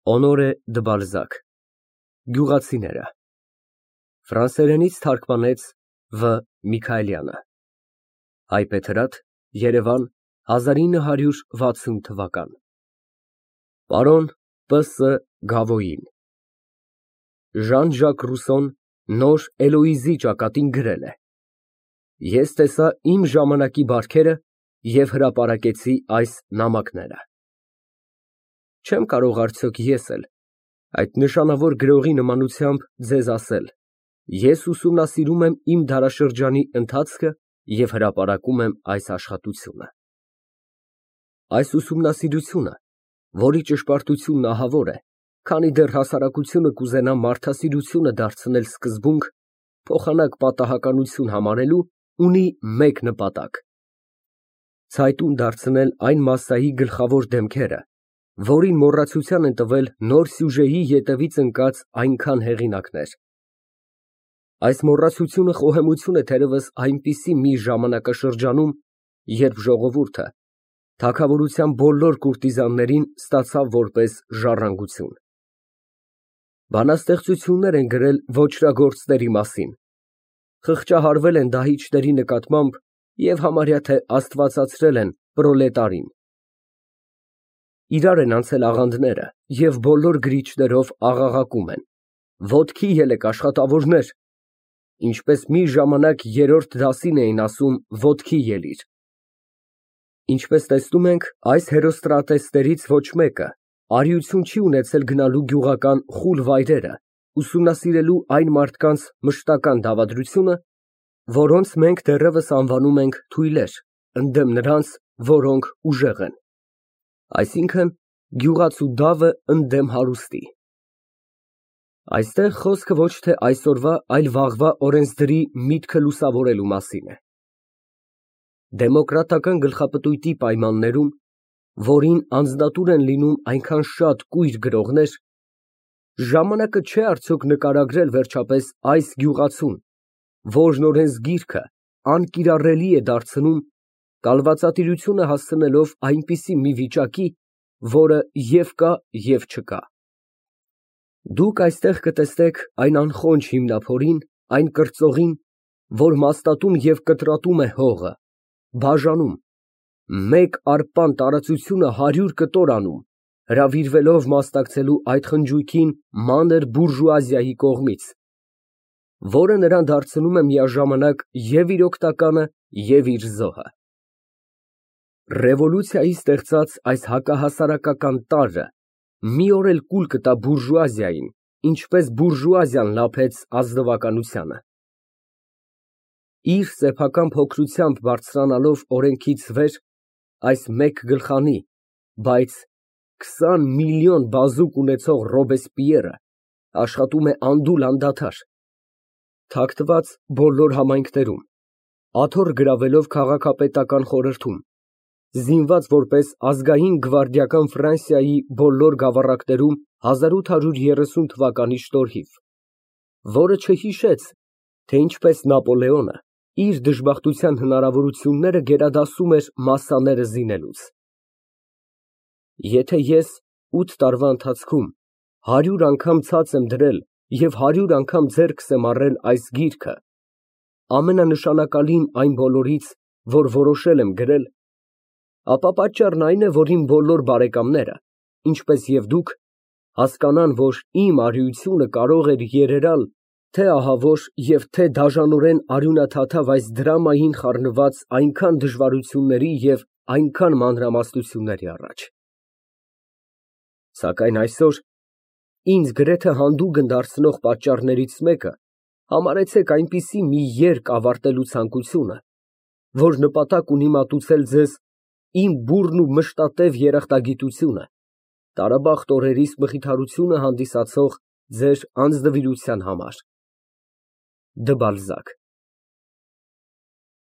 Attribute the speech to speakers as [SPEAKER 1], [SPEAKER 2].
[SPEAKER 1] Օնորե դը Բալզակ Գյուղացիները Ֆրանսերենից թարգմանեց Վ. Միքայելյանը Հայբեթրատ Երևան 1960 Պարոն П.Ս. Գավոյին Ժան-Ժակ Ռուսոն նոր Էլոիզի ճակատին գրել է Ես տեսա իմ ժամանակի բարքերը և հրապարակեցի այս նամակները Չեմ կարող արդյոք ես էլ այդ նշանավոր գրողի նմանությամբ ձեզ ասել ես ուսումնասիրում եմ իմ դարաշրջանի ընթացքը և հրապարակում եմ այս աշխատությունը։ Այս ուսումնասիրությունը, որի ճշմարտությունն ահավոր է, քանի դեռ հասարակությունը կուզենա մարդասիրությունը դարձնել սկզբունք, փոխանակ պատահականություն համարելու, ունի մեկ նպատակ. ցայտուն դարձնել այն մասսայի գլխավոր դեմքերը, որին մոռացության են տվել նոր սյուժեի ետևից ընկած այնքան հեղինակներ։ Այս մոռացությունը խոհեմություն է թերևս այնպիսի մի ժամանակաշրջանում, երբ ժողովուրդը թագավորության բոլոր կուրտիզաններին ստացավ որպես ժառանգություն։ Բանաստեղծություններ են գրել ոճրագործների մասին, խղճահարվել են դահիճների նկատմամբ և համարյա թե աստվածացրել են պրոլետարին։ Իրար են անցել աղանդները և բոլոր գրիչներով աղաղակում են. «Ոտքի ելեք, աշխատավորներ», ինչպես մի ժամանակ երրորդ դասին էին ասում «ոտքի ելիր»։ Ինչպես տեսնում ենք, այս հերոստատեսներից ոչ մեկը արիություն չի ունեցել գնալու գյուղական խուլ վայրերը, ուսումնասիրելու այն մարդկանց մշտական դավադրությունը, որոնց մենք դեռևս անվանում ենք թույլեր, ընդդեմ նրանց, որոնք ուժեղ են, այսինքն գյուղացու դավը ընդդեմ հարուստի։ Այստեղ խոսքը ոչ թե այսօրվա, այլ վաղվա օրենսդրի միտքը լուսավորելու մասին է։ Դեմոկրատական գլխապտույտի պայմաններում, որին անձնատուր են լինում այնքան շատ կույր գրողներ, ժամանակը չէ արդյոք նկարագրել վերջապես այս գյուղացուն, որն օրենսգիրքը անկիրառելի է դարձնում, կալվածատիրությունը հասցնելով այնպիսի մի վիճակի, որը և կա, և չկա։ Դուք այստեղ կտեսնեք այն անխոնջ հիմնափորին, այն կրծողին, որ մաստատում և կտրատում է հողը, բաժանում, մեկ արպան տարածությունը 100 կտոր անում, հրավիրվելով մասնակցելու այդ խնջույքին մանր բուրժուազիայի կողմից, որը նրան դարձնում է միաժամանակ և իր օգնականը, և իր զոհը։ Ռևոլյուցիայի ստեղծած այս հակահասարակական տարրը մի օր էլ կուլ կտա բուրժուազիային, ինչպես բուրժուազիան լափեց ազնվականությանը։ Իր սեփական փոքրությամբ բարձրանալով օրենքից վեր, այս մեկ գլխանի, բայց 20 միլիոն բազուկ ունեցող Ռոբեսպիերը աշխատում է անդուլ անդադար, թաքնված բոլոր համայնքներում, աթոռ գրավելով քաղաքապետական խորհրդում, զինված որպես ազգային գվարդիական Ֆրանսիայի բոլոր գավառակներում 1830 թվականի շտորհիվ, որը չհիշեց, թե ինչպես Նապոլեոնը իր դժբախտության հնարավորությունները գերադասում էր մասսաները զինելուց։ Եթե ես 8 տարվա ընթացքում 100 անգամ ցած եմ դրել և 100 անգամ ձեռքս եմ առել այս գիրքը, ամենանշանակալին այն բոլորից, որ որոշել եմ գրել, ապա պատճառն այն է, որ իմ բոլոր բարեկամները, ինչպես և դուք, հասկանան, որ իմ արիությունը կարող էր երերալ թե ահավոր և թե դաժանորեն արյունաթաթավ այս դրամային խառնված այնքան դժվարությունների և այնքան մանրամասնությունների առաջ։ Սակայն այսօր ինձ գրեթե հանդուգն դարձնող պատճառներից մեկը համարեցեք այնպիսի մի երկ ավարտելու ցանկությունը, որ նպատակ ունի մատուցել ձեզ իմ բուռն ու մշտատև երախտագիտությունը, տարաբախտ օրերիս մխիթարությունը հանդիսացող ձեր անձնվիրության համար։ Դը Բալզակ